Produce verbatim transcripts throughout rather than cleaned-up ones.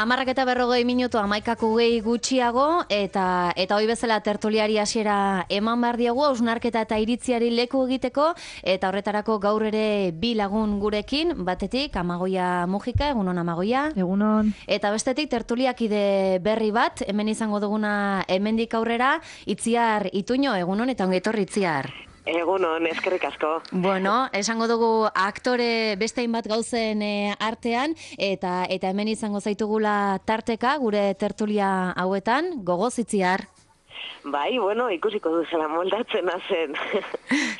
Amarrak eta berrogei minutu amaikako gehi gutxiago, eta eta hoi bezala tertuliari hasiera eman behar diogu, hausnarketa eta iritziari leku egiteko, eta horretarako gaur ere bi lagun gurekin, batetik Amagoia Mujika, egunon Amagoia. Egunon. Eta bestetik tertuliakide berri bat, hemen izango duguna hemendik aurrera, Itziar Ituño, egunon eta ongi etorri Itziar. Egunon, eskerrik asko. Bueno, esango dugu aktore beste hainbat gauzen e, artean, eta eta hemen izango zaitugula tarteka, gure tertulia hauetan, gogoz Itziar. Bai, bueno, ikusiko duzela moldatzen hazen.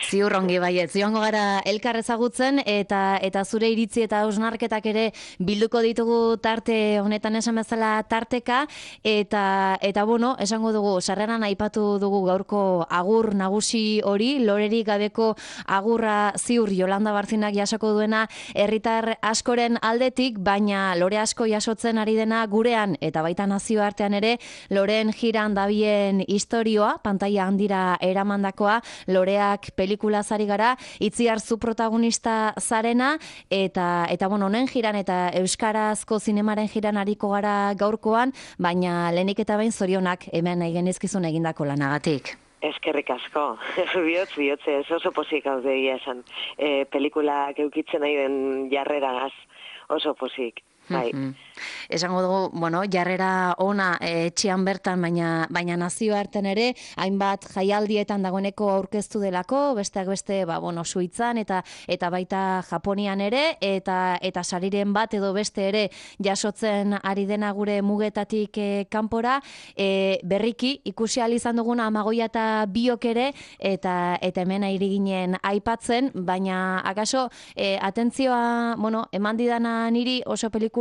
Ziur ongi baiet, ziongo gara elkar ezagutzen, eta eta zure iritzi eta hausnarketak ere bilduko ditugu tarte honetan esan bezala tarteka, eta eta bueno, esango dugu, sarreran aipatu dugu gaurko agur nagusi hori, lorerik gabeko agurra ziur Yolanda Barzinak jasoko duena herritar askoren aldetik, baina lore asko jasotzen ari dena gurean, eta baita nazioartean ere, loreen jiran dabien historioa, pantaila handira eramandakoa, loreak pelikulaz ari gara, Itziar zu protagonista zarena, eta, eta bueno, honen jiran eta euskarazko zinemaren jiran ariko gara gaurkoan, baina lehenik eta behin zorionak hemen nahi genizkizun egindako lanagatik. Eskerrik asko. Bihotz, bihotz, ez oso pozik hau deia esan. E, pelikulak eukitzen nahi den jarreragaz oso pozik. Bai. Mm-hmm. Esango dugu, bueno, jarrera ona e, etxean bertan, baina baina nazioartean ere, hainbat jaialdietan dagoeneko aurkeztu delako, besteak beste, ba, bueno, Suitzan eta eta baita Japonian ere, eta eta sariren bat edo beste ere jasotzen ari dena gure mugetatik e, kanpora, e, berriki ikusi ahal izan duguna Amagoia eta biok ere, eta eta hemen ari ginen aipatzen, baina akaso e, atentzioa, bueno, eman didana niri oso pelikula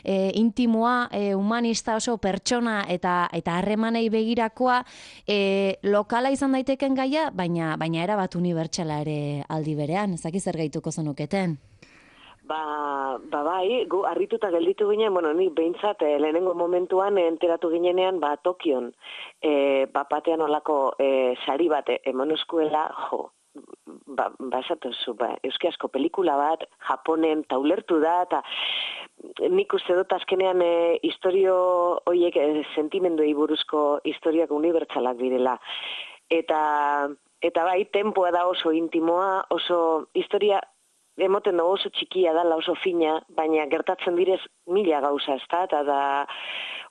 e, intimoa, e, humanista oso pertsona eta eta harremanei begirakoa, e, lokala izan daiteken gaia, baina baina era bat unibertsala ere aldi berean, ez dakit zer gehituko zenuketen. Ba, ba bai, gu harrituta gelditu ginen, bueno, nik behintzat eh, lehenengo momentuan eh, enteratu ginenean, ba, Tokion, eh, ba, batean olako eh, sari bat eman eskuela, jo, ba, ba esatuzu, ba, euskiazko pelikula bat, Japonen taulertu da, eta nik uste dut azkenean e, historio horiek e, sentimenduei buruzko historiak unibertsalak direla. Eta, eta bai, tempoa da oso intimoa, oso historia emoten dugu oso txikia dala, oso fina, baina gertatzen direz mila gauza, ez da, eta da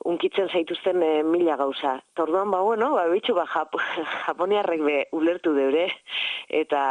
unkitzen zaituzten e, mila gauza. Eta orduan, ba, bueno, ba, bitxu, ba, Jap Japoniarrek be ulertu deure, eta,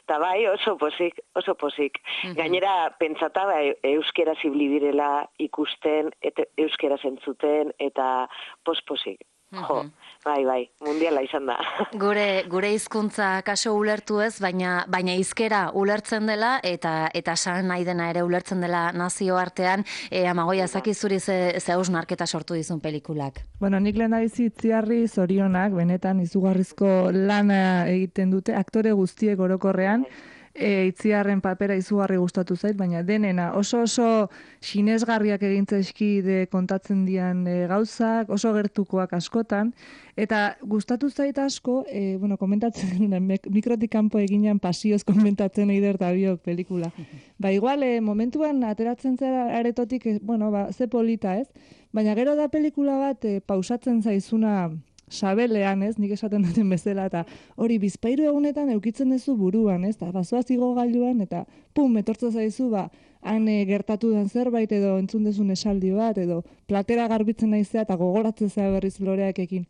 eta bai, oso pozik, oso pozik. Mm-hmm. Gainera, pentsata, ba, euskera zibli direla ikusten, eta euskera zentzuten, eta pospozik. Jo, bai, bai, mundiala izan da. Gure gure hizkuntza kaso ulertu ez, baina baina hizkera ulertzen dela eta eta san nahi dena ere ulertzen dela nazioartean. E, Amagoia, zaki zuri ze ze hausnarketa sortu dizun pelikulak. Bueno, nik lehendabizi Itziarri zorionak, benetan izugarrizko lana egiten dute, aktore guztiek orokorrean. E, Itziarren papera izugarri gustatu zait, baina denena oso oso sinesgarriak egintzaizki de kontatzen dian e, gauzak, oso gertukoak askotan, eta gustatu zait asko, e, bueno, komentatzen genuen, mikrotik kanpo eginan pasioz komentatzen eider eta biok pelikula. Ba, igual, e, momentuan ateratzen zera aretotik, e, bueno, ba, ze polita ez, baina gero da pelikula bat e, pausatzen zaizuna sabelean, ez, nik esaten duten bezala, eta hori bizpairu egunetan eukitzen duzu buruan, ez, eta bazoaz igogailuan, eta pum, etortza zaizu, ba, han e, gertatu den zerbait, edo entzun dezun esaldi bat, edo platera garbitzen naizea, eta gogoratzen zea berriz loreakekin.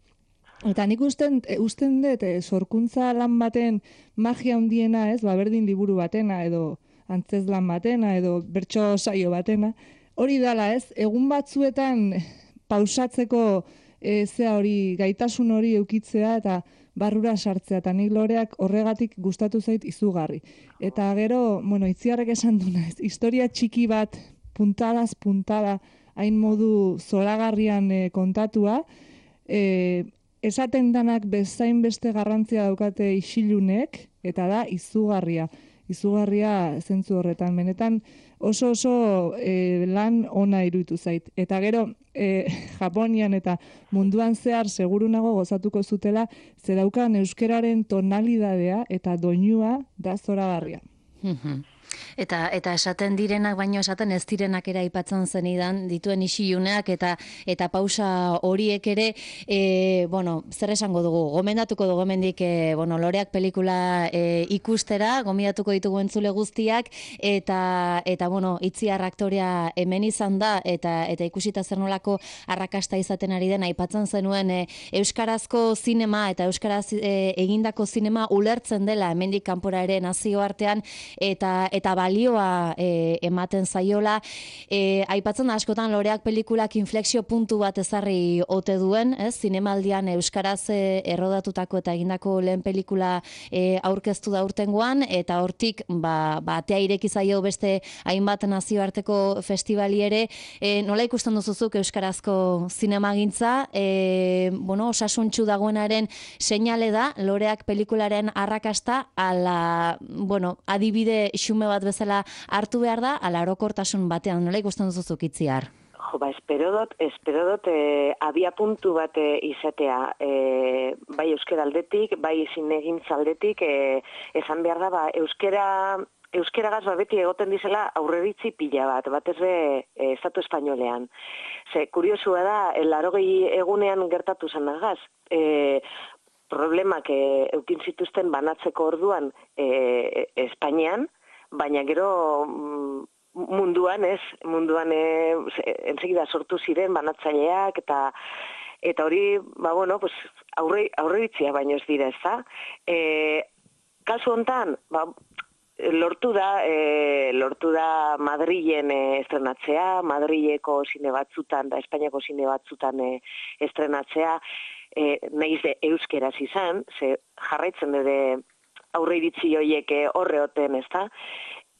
Eta nik usten, e, usten dut, e, sorkuntza lan baten magia handiena, ez, ba, berdin liburu batena, edo antzezlan batena, edo bertso saio batena, hori dala, ez, egun batzuetan pausatzeko E, zea hori, gaitasun hori eukitzea eta barrura sartzea, eta nik loreak horregatik gustatu zait izugarri. Eta gero, bueno, Itziarrek esan duna, ez, historia txiki bat, puntadaz puntada, hain modu zoragarrian e, kontatua, e, esaten danak bezain beste garrantzia daukate isilunek, eta da izugarria. Izugarria zentzu horretan, benetan oso oso e, lan ona iruditu zait. Eta gero, e, Japonian eta munduan zehar segurunago gozatuko zutela, zeraukan euskeraren tonalidadea eta doinua da zoragarria. Eta eta esaten direnak baino esaten ez direnak ere aipatzen zenidan dituen isiluneak eta eta pausa horiek ere e, bueno, zer esango dugu? Gomendatuko dugu hemendik e, bueno, Loreak pelikula e, ikustera, gomendatuko ditugu entzule guztiak eta eta bueno, Itziar aktorea hemen izan da eta eta ikusita zer nolako arrakasta izaten ari den aipatzen zenuen e, euskarazko zinema eta euskaraz e, egindako zinema ulertzen dela hemendik kanpora ere nazioartean eta eta balioa e, ematen zaiola. E, aipatzen da askotan Loreak pelikulak inflexio puntu bat ezarri ote duen, ez? Zinemaldian euskaraz e, errodatutako eta egindako lehen pelikula e, aurkeztu da urtengoan eta hortik ba ba atea ireki zaio beste hainbat nazioarteko festivali ere. E, nola ikusten duzuzuk euskarazko zinemagintza? E, bueno, osasuntsu dagoenaren seinale da Loreak pelikularen arrakasta ala, bueno, adibide xume bat bezala hartu behar da, ala orokortasun batean, nola ikusten duzuzuk Itziar? Jo, ba, espero dut, espero dut, e, abia puntu bat e, izatea, e, bai euskera aldetik, bai zinegintza aldetik, e, esan behar da, ba, euskera, euskeragaz ba, beti egoten dizela aurreritzi pila bat, batez be e, estatu espainolean. Ze, kuriosua da, larogei egunean gertatu zen nagaz, e, problemak e, eukin zituzten banatzeko orduan e, Espainian, baina gero munduan, ez, munduan e, ensegida sortu ziren banatzaileak eta eta hori, ba bueno, pues aurre aurreitzia baino ez dira, ezta? Eh, kasu hontan, ba lortu da, e, lortu da Madrilen e, estrenatzea, Madrileko zine batzutan da Espainiako zine batzutan e, estrenatzea, e, nahiz de euskeraz izan, ze jarraitzen dute aurreiritzi horiek horreoten, ezta?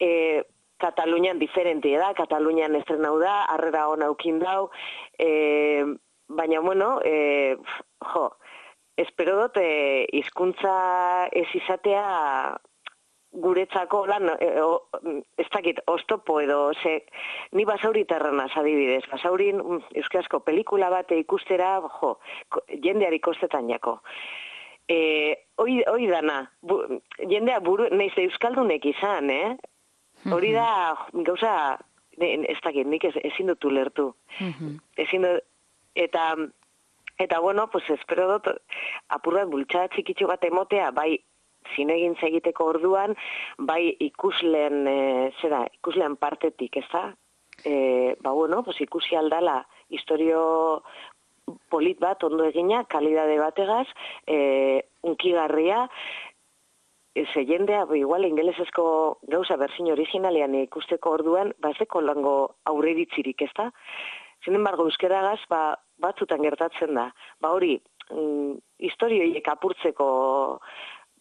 E, Katalunian diferentia da, Katalunian estrenau da, harrera hona aukin dau, e, baina, bueno, e, jo, espero dut e, hizkuntza ez izatea guretzako lan, e, o, ez dakit, oztopo edo, ze, ni basauritarranaz adibidez, basaurin euskarazko pelikula bate ikustera, jo, jendeari kostetan jako. E, hoi, hoi dana, bu, jendea buru, nahiz euskaldunek izan, eh? Hori da, gauza, ne, ez dakit, nik ez, ezin dut ulertu. Ezin dut, eta, eta bueno, pues espero dut, apurrat bultxada txikitxo bat emotea, bai zinegintza egiteko orduan, bai ikusleen, e, zera, ikusleen partetik, ez da? E, ba bueno, pues ikusi aldala, historio polit bat, ondo egina, kalidade bategaz, e, unkigarria, ze jendea, igual ingelesezko gauza berzin originalean ikusteko orduan, ba ez deko lango aurreiritzirik, ez da? Sin embargo, euskeragaz, ba, batzutan gertatzen da. Ba hori, mm, historioiek apurtzeko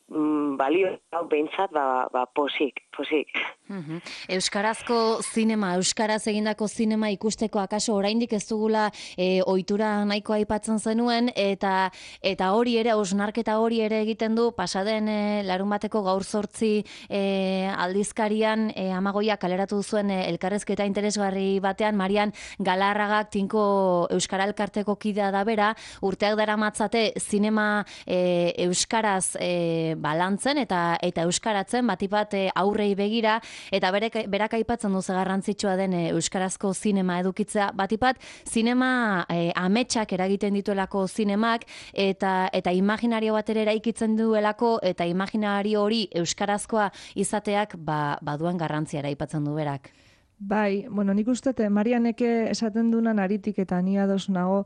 mm, balio behintzat, ba, ba posik, posik. Uhum. Euskarazko zinema, euskaraz egindako zinema ikusteko akaso oraindik ez dugula e, ohitura nahiko aipatzen zenuen eta eta hori ere hausnarketa hori ere egiten du pasaden e, larun bateko gaur zortzi e, aldizkarian e, Amagoia kaleratu zuen e, elkarrezketa interesgarri batean Marian Galarragak Tinko Euskara Elkarteko kidea da bera, urteak daramatzate zinema e, euskaraz e, balantzen eta eta euskaratzen batipat e, aurrei begira. Eta berek, berak aipatzen duze garrantzitsua den e, euskarazko zinema edukitzea, batipat zinema e, ametsak eragiten dituelako zinemak eta eta imaginario bat ere eraikitzen duelako eta imaginario hori euskarazkoa izateak ba, baduan garrantziara aipatzen du berak. Bai, bueno, nik uste, Marianeke esaten dunan aritik eta ni ados nago,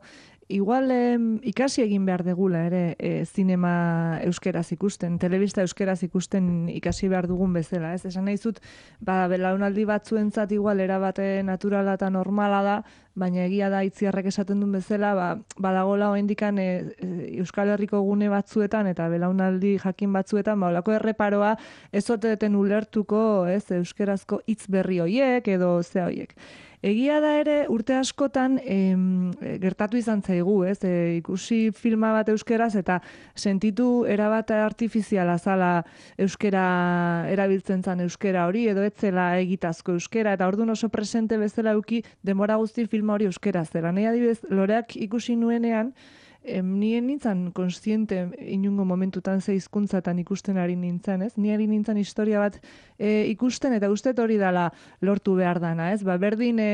igual eh, ikasi egin behar degula ere eh, zinema euskeraz ikusten, telebista euskeraz ikusten ikasi behar dugun bezala, ez? Esan nahi zut, ba, belaunaldi batzuentzat igual erabate naturala eta normala da, baina egia da Itziarrek esaten duen bezala, ba, badagola oendikan e, Euskal Herriko gune batzuetan eta belaunaldi jakin batzuetan, ba, olako erreparoa ez oteten ulertuko, ez, euskerazko hitz berri hoiek edo ze hoiek. Egia da ere urte askotan em, gertatu izan zaigu, ez? E, ikusi filma bat euskeraz eta sentitu erabat artifiziala zala euskera erabiltzen zan euskera hori edo etzela egitazko euskera eta orduan oso presente bezala euki denbora guzti filma hori euskera zela. Nei adibidez Loreak ikusi nuenean em, nien nintzen konstiente inungo momentutan ze hizkuntzatan ikusten ari nintzen, ez? Ni ari nintzen historia bat e, ikusten, eta uste hori dala lortu behar dana, ez? Ba, berdin e,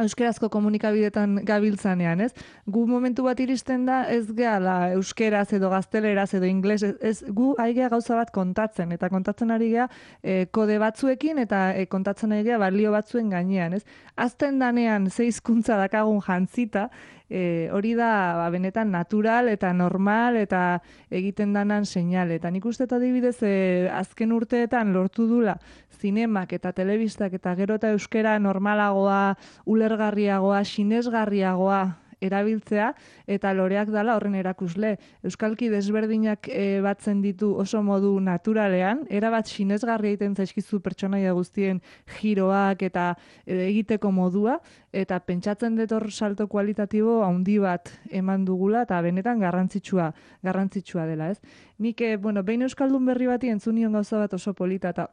euskerazko komunikabidetan gabiltzanean, ez? Gu momentu bat iristen da, ez gehala euskeraz edo gazteleraz edo ingles, ez, ez gu aigea gauza bat kontatzen, eta kontatzen ari gea e, kode batzuekin, eta e, kontatzen ari gea balio batzuen gainean, ez? Azten danean ze hizkuntza dakagun jantzita, e, hori da ba, benetan natural eta normal eta egiten danan seinale. Eta nik uste adibidez e, azken urteetan lortu dula zinemak eta telebistak eta gero eta euskera normalagoa, ulergarriagoa, sinesgarriagoa erabiltzea, eta loreak dala horren erakusle. Euskalki desberdinak e, batzen ditu oso modu naturalean, erabat sinesgarria egiten zaizkizu pertsonaia guztien giroak eta e, egiteko modua, eta pentsatzen dut hor salto kualitatibo handi bat eman dugula, eta benetan garrantzitsua, garrantzitsua dela, ez? Nik, e, bueno, behin euskaldun berri bati entzunion gauza bat oso polita, eta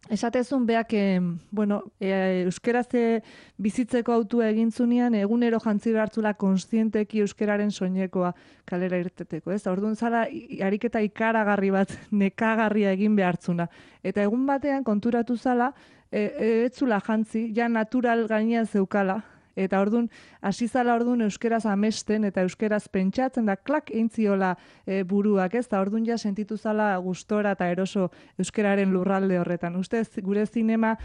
esatezun beak, eh, bueno, e, euskeraz bizitzeko autua egintzunean, egunero jantzi behartzula konstienteki euskeraren soinekoa kalera irteteko, ez? Orduan zala, ariketa ikaragarri bat, nekagarria egin behartzuna. Eta egun batean konturatu zala, e, e, etzula jantzi, ja natural gainean zeukala, eta ordun hasi zala ordun euskeraz amesten eta euskeraz pentsatzen da klak eintziola e, buruak, ez? Ta ordun ja sentitu zala gustora eta eroso euskeraren lurralde horretan. Ustez gure zinema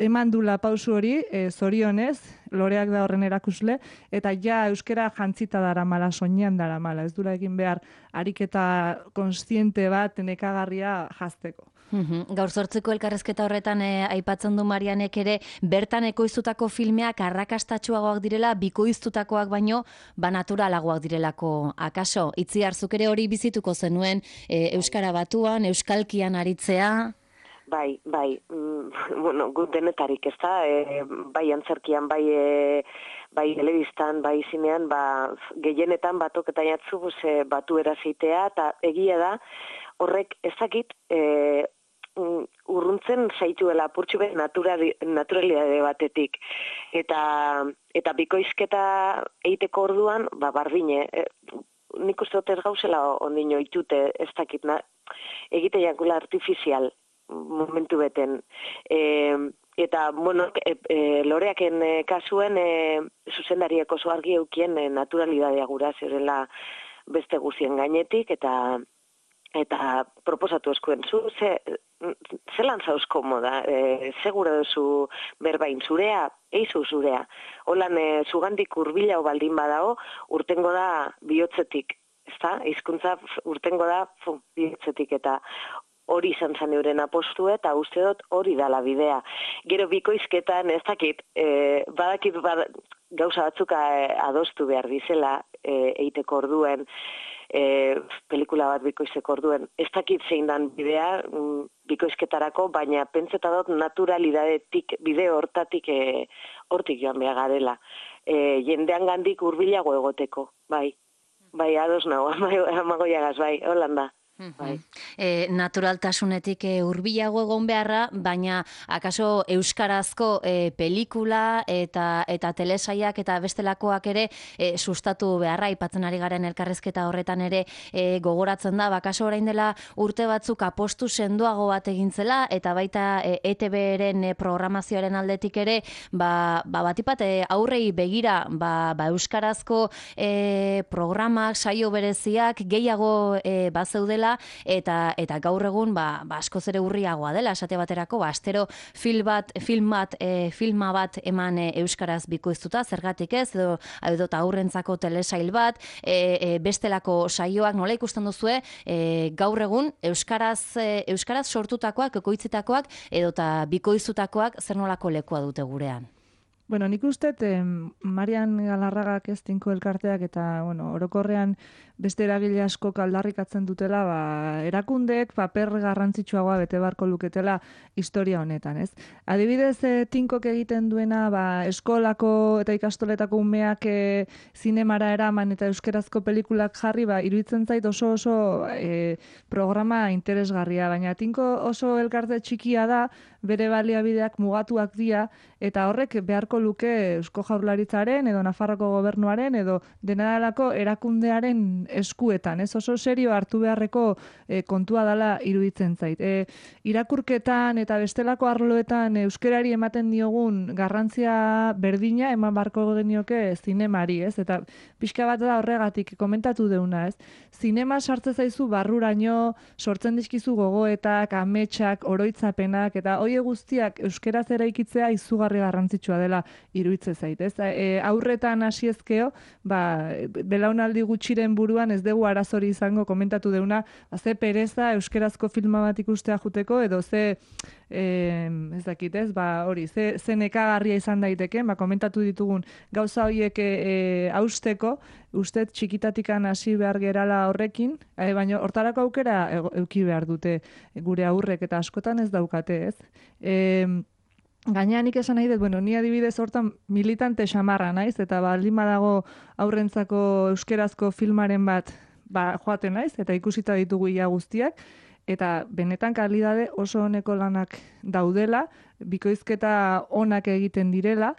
eman dula pausu hori, e, zorionez, loreak da horren erakusle, eta ja euskera jantzita daramala, soinean daramala, ez dura egin behar ariketa konstiente bat nekagarria jazteko. Uhum. Gaur zortzeko elkarrezketa horretan eh, aipatzen du Marianek ere, bertan ekoiztutako filmeak arrakastatsuagoak direla, bikoiztutakoak baino, ba naturalagoak direlako akaso. Itziar, zuk ere hori bizituko zenuen, eh, Euskara Batuan, Euskalkian aritzea? Bai, bai, mm, bueno, gut denetarik, ez da, e, bai antzerkian, bai, e, bai telebistan, bai zinean, ba, gehienetan batok eta jatzu ze batu erazitea, eta egia da, horrek ezakit, e, urruntzen zaituela apurtxu bet naturalidade batetik. Eta, eta bikoizketa eiteko orduan, ba, bardine, e, nik uste dut ez gauzela ondino itute, ez dakit, na, egite jakula artifizial momentu beten. E, eta, bueno, e, e, loreaken e, kasuen e, zuzendariek oso argi eukien e, naturalidadea gura zerela beste guzien gainetik, eta eta proposatu eskuen zu, ze, zelan zauz komoda, e, segura duzu berbain zurea, eizu zurea. Holan, e, zugandik urbilau baldin badao, urtengo da bihotzetik, ezta? Hizkuntza urtengo da fu, bihotzetik, eta hori izan zen euren apostu, eta uste dut hori dala bidea. Gero bikoizketan, ez dakit, e, badakit bad, gauza batzuka e, adostu behar dizela, e, eiteko orduen, E, pelikula bat bikoizteko orduen. Ez dakit zein dan bidea mm, bikoizketarako, baina pentseta dut naturalidadetik, bide hortatik e, hortik joan behar garela. E, jendean gandik hurbilago egoteko, bai. Bai, ados nago, amagoiagaz, bai, holanda. Bai. E, naturaltasunetik e, hurbilago egon beharra, baina akaso euskarazko e, pelikula eta eta telesaiak eta bestelakoak ere e, sustatu beharra, aipatzen ari garen elkarrezketa horretan ere e, gogoratzen da, bakaso orain dela urte batzuk apostu sendoago bat egintzela, eta baita e, E T B-ren e, programazioaren aldetik ere, ba, ba batipat e, aurrei begira, ba, ba euskarazko e, programak, saio bereziak gehiago e, bazeudela, eta eta gaur egun ba, ba askoz ere urriagoa dela, esate baterako, ba astero film bat, film bat, e, filma bat eman e, euskaraz bikoiztuta, zergatik ez, edo edo aurrentzako telesail bat, e, e, bestelako saioak nola ikusten duzue, e, gaur egun euskaraz e, euskaraz sortutakoak, ekoitzitakoak edota bikoiztutakoak zer nolako lekua dute gurean? Bueno, nik uste, eh, Marian Galarragak ez tinko elkarteak eta, bueno, orokorrean beste eragile asko aldarrikatzen dutela, ba, erakundeek paper garrantzitsuagoa bete beharko luketela historia honetan, ez? Adibidez, eh, tinkok egiten duena, ba, eskolako eta ikastoletako umeak eh, zinemara eraman eta euskerazko pelikulak jarri, ba, iruditzen zait oso oso eh, programa interesgarria, baina tinko oso elkarte txikia da, bere baliabideak mugatuak dira, eta horrek beharko luke Eusko Jaurlaritzaren edo Nafarroko gobernuaren edo denadalako erakundearen eskuetan, ez oso serio hartu beharreko e, kontua dela iruditzen zait. E, irakurketan eta bestelako arloetan euskerari ematen diogun garrantzia berdina eman barko genioke zinemari, ez? Eta pixka bat da horregatik komentatu deuna, ez? Zinema sartze zaizu barruraino, sortzen dizkizu gogoetak, ametsak, oroitzapenak, eta hoie guztiak euskeraz eraikitzea izugarri garrantzitsua dela iruditzen zait, ez? E, aurretan hasiezkeo, ba, belaunaldi gutxiren buruan ez dugu arazori izango komentatu deuna, ba, ze pereza euskerazko filma bat ikustea juteko, edo ze, e, ez dakit, ez? Ba, hori, ze, ze nekagarria izan daiteke, ba, komentatu ditugun gauza horiek e, hausteko, uste txikitatikan hasi behar gerala horrekin, e, baina hortarako aukera eduki behar dute gure aurrek, eta askotan ez daukate, ez? E, Gainean nik esan nahi dut, bueno, ni adibidez hortan militante xamarra naiz, eta baldin badago aurrentzako euskerazko filmaren bat ba, joaten naiz, eta ikusita ditugu ia guztiak, eta benetan kalidade oso honeko lanak daudela, bikoizketa onak egiten direla,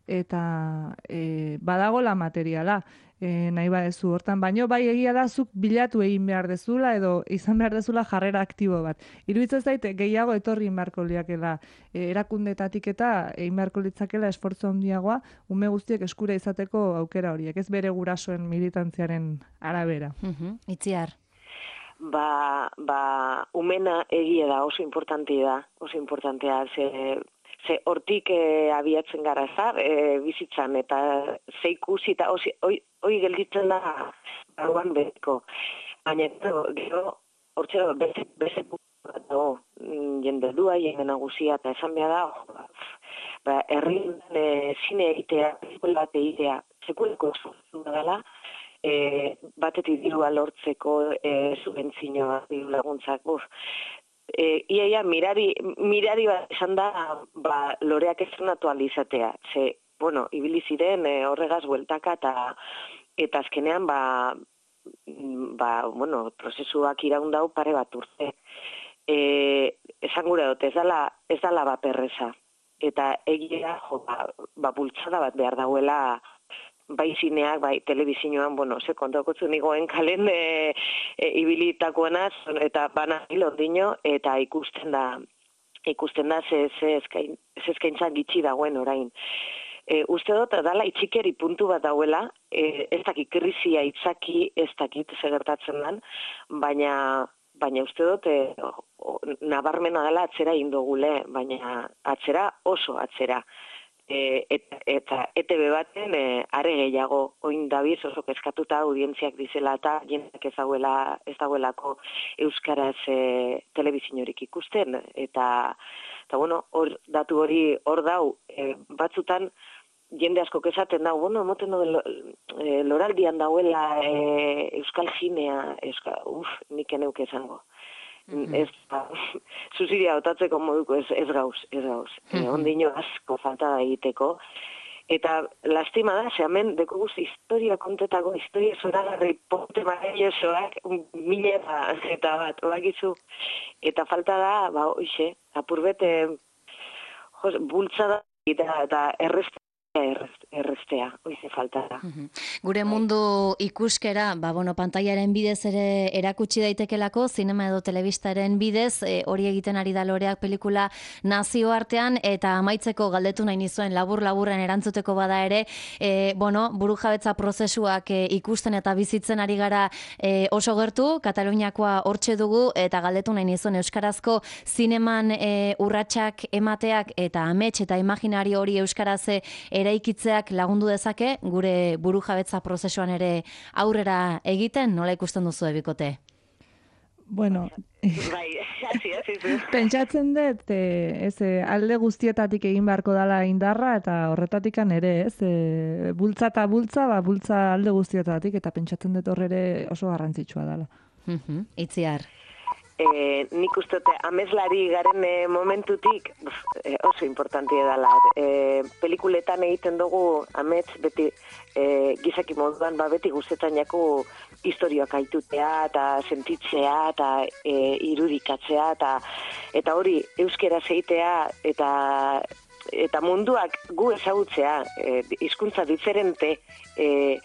eta e, badagola materiala. E, nahi badezu hortan, baino bai egia da zuk bilatu egin behar dezula edo izan behar dezula jarrera aktibo bat. Iruditzen zaite gehiago etorri inbarko liakela e, erakundetatik eta egin beharko litzakela esfortzu handiagoa ume guztiek eskura izateko aukera horiek, ez bere gurasoen militantziaren arabera. Uh-huh. Itziar. Ba, ba, umena egia da, oso importantea da, oso importantea, ze... Ze hortik e, abiatzen gara zar, e, bizitzan, eta ze ikusi eta hoi gelditzen da baruan betiko. Baina gero, hortxe da, beste, beste bat dago, jende dua, jende nagusia, eta esan behar da, ba, herri e, zine egitea, pelikula bat egitea, sekuleko esfortzu dela, e, batetik dirua lortzeko e, subentzinoa, diru laguntzak, buf, E, iaia, mirari, mirari bat esan da, ba, loreak estrenatu alizatea. Ze, bueno, ibili ziren e, horregaz bueltaka eta eta azkenean, ba, ba, bueno, prozesuak iraundau pare bat urte. E, esan gure dut, ez dala, ez dala baperreza. Eta egia, jo, ba, ba, bultzada bat behar dauela, bai zineak, bai telebizioan, bueno, ze kontakotzu nigoen kalen e, e, ibilitakoenaz, eta bana hilondino, eta ikusten da, ikusten da ze, ze, eskain, ze eskaintza gitxi dagoen orain. E, uste dut, dala itxikeri puntu bat dauela, e, ez dakit krizia itzaki, ez dakit segertatzen den, baina, baina uste dut, e, o, nabarmena dela atzera indogule, baina atzera oso atzera. E, eta, eta E T B baten e, are gehiago oin dabiz oso kezkatuta audientziak dizela eta jendak ez dauela, ez dauelako euskaraz e, telebizinorik ikusten eta, eta bueno, hor, datu hori hor dau e, batzutan jende asko esaten dau, bueno, emoten do e, loraldian dauela e, euskal zinea, euskal, uf, nik eneuk esango. Mm-hmm. Ez, ba, zuziria otatzeko moduko ez, ez gauz, ez gauz. Mm-hmm. E, ondino asko falta da egiteko. Eta lastima da, ze hemen deko guzti historia kontetako, historia zoragarri ponte maravillosoak, mila eta bat, bakizu. Eta falta da, ba, oixe, apurbete, bultzada eta, eta errezta. Errestea, oize falta da. Uhum. Gure mundu ikuskera, ba, bueno, pantaiaren bidez ere erakutsi daitekelako, zinema edo telebistaren bidez, e, hori egiten ari da loreak pelikula nazioartean, eta amaitzeko galdetu nahi nizuen labur-laburren erantzuteko bada ere, e, bueno, burujabetza prozesuak e, ikusten eta bizitzen ari gara e, oso gertu, Kataluniakoa hortxe dugu, eta galdetu nahi nizuen euskarazko zineman e, urratsak emateak, eta amets eta imaginari hori euskaraz eraikitzeak lagundu dezake gure burujabetza prozesuan ere aurrera egiten, nola ikusten duzu ebikote? Bueno, bai, hasi, hasi, hasi. Pentsatzen dut, e, ez, e, alde guztietatik egin beharko dala indarra, eta horretatikan ere, ez, e, bultza eta bultza, ba, bultza alde guztietatik, eta pentsatzen dut horre oso garrantzitsua dala. Uh-huh. Itziar. E, nik uste ameslari garen e, momentutik buf, e, oso importantia dela. E, pelikuletan egiten dugu amets beti e, gizaki moduan, ba, beti guztetan jako historioak aitutea eta sentitzea eta e, irudikatzea eta, eta hori euskera zeitea eta eta munduak gu ezagutzea, e, hizkuntza diferente e,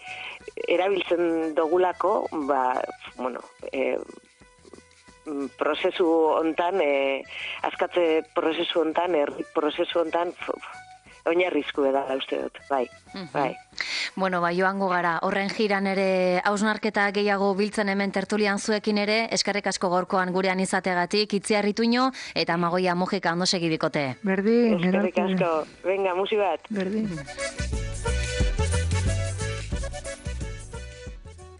erabiltzen dogulako, ba, bueno, e, prozesu hontan, e, askatze prozesu hontan, herri prozesu hontan, oinarrizko da uste dut, bai, bai. Bueno, bai, joango gara, horren jiran ere hausnarketa gehiago biltzen hemen tertulian zuekin ere, eskerrik asko gorkoan gurean izategatik, Itziarrituño eta Amagoia Mujika ondo segi bikote. Berdin, eskerrik asko, venga, musi bat. Berdin.